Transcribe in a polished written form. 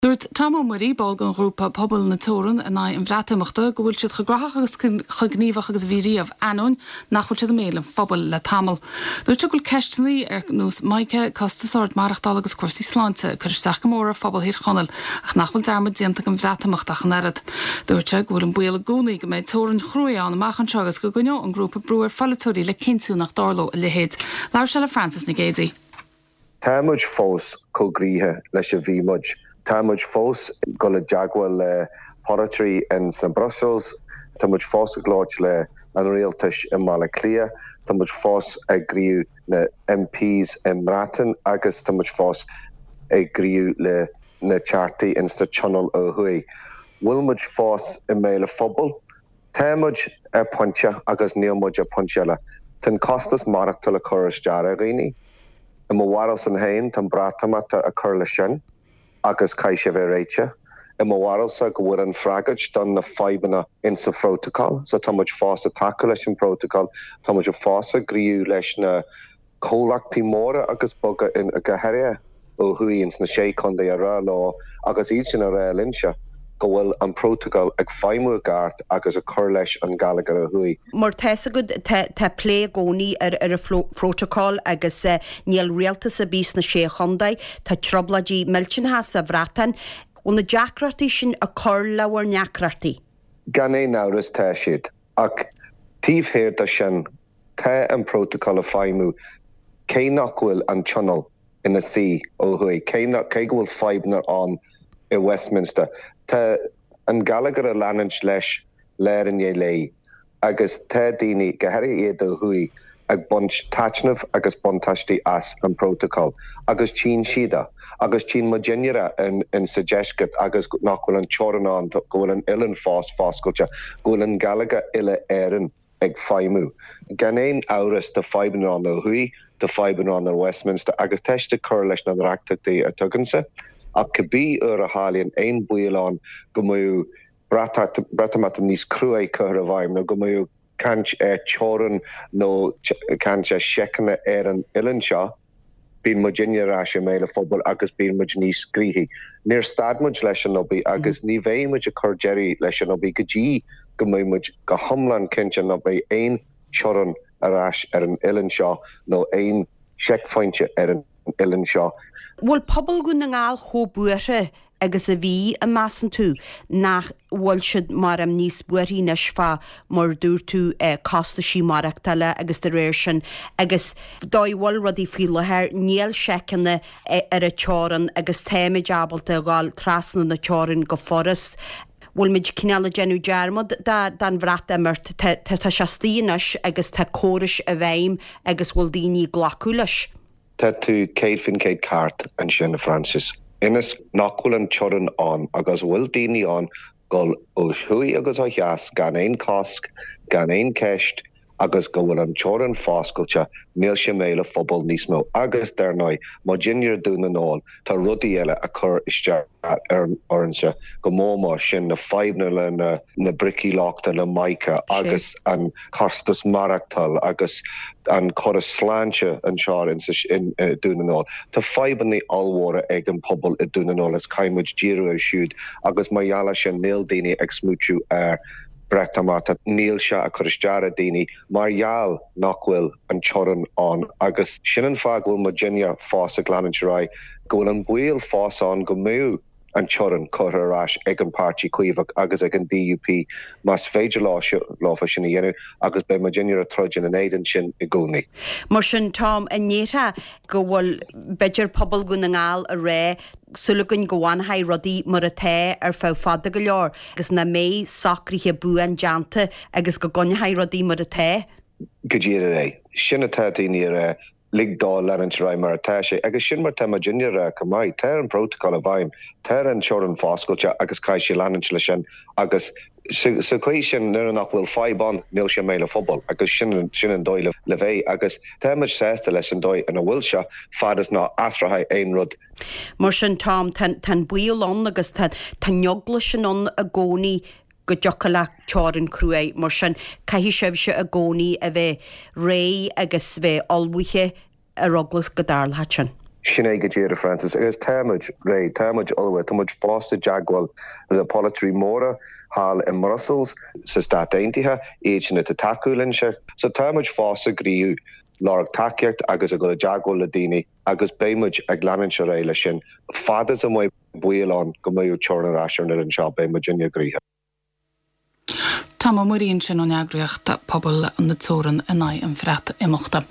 Dúirt Tom Ó Muirí, ball den ghrúpa Pobal na Teorann in aghaidh an Bhreatimeachta, go bhfuil siad chomh graitheach agus chomh gníomhach agus a bhí riamh, ainneoin nach bhfuil siad i mbéal an phobail le tamall. Dúirt sé go bhfuil ceisteanna ar nós Mica, costas ard maireachtála agus cúrsaí sláinte ag cur isteach go mór ar phobal Thír Chonaill ach nach bhfuil dearmad déanta den Bhreatimeacht ach an oiread. Dúirt sé go bhfuil an baol i gcónaí go mbeidh teorainn chruaidh ann amach anseo agus go gcoinneoidh an grúpa brú ar pholaiteoirí le cinntiú nach dtarlódh a leithéid. Labhair sé le Frances Nic Géadaigh. Tá muid fós chomh gnoitheach leis a bhí muid. Tá muid fós ag dul i dteagmháil le polaiteoirí in sna Brussels, tá muid fós ag labhairt le an rialtais i mBaile Átha Cliath, tá muid fós ag scríobh na MPs i mBreatain agus tá muid fós ag scríobh le na teachtaí in sna tionól ó thuaidh. Bhfuil muid fós i mbéal an phobail? Tá muid ar pointe agus níl muid ar pointe eile. Tá an costas maireachtála ag cur isteach ar dhaoine. I mo bharúilsan féin, tá an Breatimeacht ag cur leis sin agus caithfidh sé a bheith réitithe. I mo bharúilsa go bhfuil an freagairt don na fadhbanna in sa phrótacal, so tá muid fós ag tacú leis an bprótacal, tá muid fós ag scríobh leis na comhlachtaí móra agus beaga in go háirithe ó thuaidh ins na Sé Chontae a rá leo agus iad sin a rá linnse go bhfuil an prótacal ag feidhmiú i gceart agus ag cur leis an gheilleagar ó thuaidh. Mar tá fhios agat tá tá plé i gcónaí ar ar an phrótacal agus níl rialtas ar bith sna Sé Chontae, tá trioblóidí millteanacha sa Bhreatain. Bhfuil na deacrachtaí sin ag cur le bhur ndeacrachtaí? Gan aon amhras tá siad. Ach taobh thiar de sin Tá an prótacal ag feidhmiú cé nach bhfuil an tionól ina suí ó thuaidh, cé nach, cé go bhfuil fadhbanna ann i Westminster. Tá an geilleagar ag leanúint leis lá i ndiaidh lae agus tá daoine, go háirithe iad ó thuaidh, ag baint taitneamh agus buntáistí as an bprótacal agus tchíonn siad é agus tchíonn muidinne é in sa deisceart agus nach bhfuil an teorainn ann, go bhfuil an oileán fós foscailte, go bhfuil an geilleagar uile-Éireann ag feidhmiú. Gan aon amhras tá fadhbanna ann ó thuaidh, tá fadhbanna ann ar Westminster agus tá siad ag cur leis na ndeacrachtaí atá againne. Ach cibé uair a tharlaíonn aon baol ann go mbeadh Breatimeacht níos cruaidh curtha i bhfeidhm nó go mbeadh caint ar teorainn nó caint ar seiceanna ar an oileán seo, Bíonn muidinne ar ais i mbéal an phobail agus bíonn muid níos gnoithí. Níor stad muid leis an obair agus ní bheidh muid ag cur deireadh leis an obair go dtí go mbeidh muid go hiomlán cinnte nach mbeidh aon teorainn ar ais ar an oileán seo nó aon seicphointe ar an oileán seo. Bhfuil pobal Dhún na nGall chomh buartha agus a bhí, an measann tú nach bhfuil siad mar em níos buarthaí anois fá mar dúirt tú costaisí maireachtála agus de réir sin agus dóigh a bhfuil rudaí faoi láthair níl seiceanna ar an teorann agus táimid ábalta a dhul trasna na teorann go furast. Bhfuil muid cineál ag déanamh dearmad den Bhreatimeacht tá tá sé istigh anois agus tá córais i bhfeidhm agus bhfuil daoine ag glacadh leis? Tá tú 100% ceart ansin a Frances. Ionas nach bhfuil an teorainn ann agus bhfuil daoine ann dul ó thuaidh agus ó theas gan aon cosc, gan aon ceist agus go bhfuil an teorainn foscailte, níl sé i mbéal an phobail níos mó. Agus dar ndóigh, muidinne i Dún na nGall, tá rudaí eile ag cur isteach orainne go mór mór, sin na fadhbanna le na bricí lochta le Mica agus an costas maireachtáil agus an córas sláinte anseo i Dún na nGall. Tá fadhbanna ollmhóra ag an pobal i Dún na nGall agus caithfidh muid díriú air siúd agus mar gheall air sin níl daoine ag smaoitiú ar Breatimeacht, níl sé ag cur isteach ar daoine mar gheall nach bhfuil an teorainn ann agus sin an fáth go bhfuil muidinne fós ag leanúint ar aghaidh, go bhfuil an baol fós ann go mbeadh an teorainn curtha ar ais ag an Páirtí Caomhach agus ag an DUP más féidir leofa sin a dhéanamh agus beidh muidinne ag troid ina n-éadan sin i gcónaí. Mar sin, Tom, an ndéarfá go bhfuil, b'fhéidir, pobal Dhún na nGall ag rá, súil againn go bhfanfaidh rudaí mar atá ar feadh fada go leor agus nach mbeidh socruithe buan déanta agus go gcoinneofaí rudaí mar atá? Go díreach é. Sin atá daoine a rá. Lig dó leanúint ar aghaidh mar atá sé. Agus sin mar tá muidinne a rá chomh maith. Tá an prótacal i bhfeidhm. Tá an teorainn foscailte agus caithfidh sé leanúint leis sin agus sa chaoi sin nuair nach bhfuil fadhb ann níl sé i mbéal an phobail agus sin sin an dóigh le bheith agus tá muid sásta leis an dóigh ina bhfuil sé fad is ná athróidh aon rud. Mar sin Tom, tá an baol ann agus tá an eagla sin ann i gcónaí go dtiocfadh le teorainn chruaidh. Mar sin, caithfidh sibhse i gcónaí a bheith réidh agus bheith ullmhaithe ar eagla go dtarlódh sin. Sin é go díreach, Francis, agus tá muid réidh, tá muid ullmhaithe, tá muid fós i dteagmháil le polaiteoirí móra thall i mBrussels, sa Stát Aontaithe, iad sin atá ag tacú linn. So tá muid fós ag iarraidh lorg tacaíocht agus ag dul i dteagmháil le daoine agus beidh muid ag leanúint ar aghaidh leis sin. Fad is a mbeidh baol ann go mbeidh teorainn ar ais ar an oileán seo, beidh muidinne gnoitheach. Tom Ó Muirí ansin ón eagraíocht Pobal na Teorann in aghaidh an Bhreatimeachta.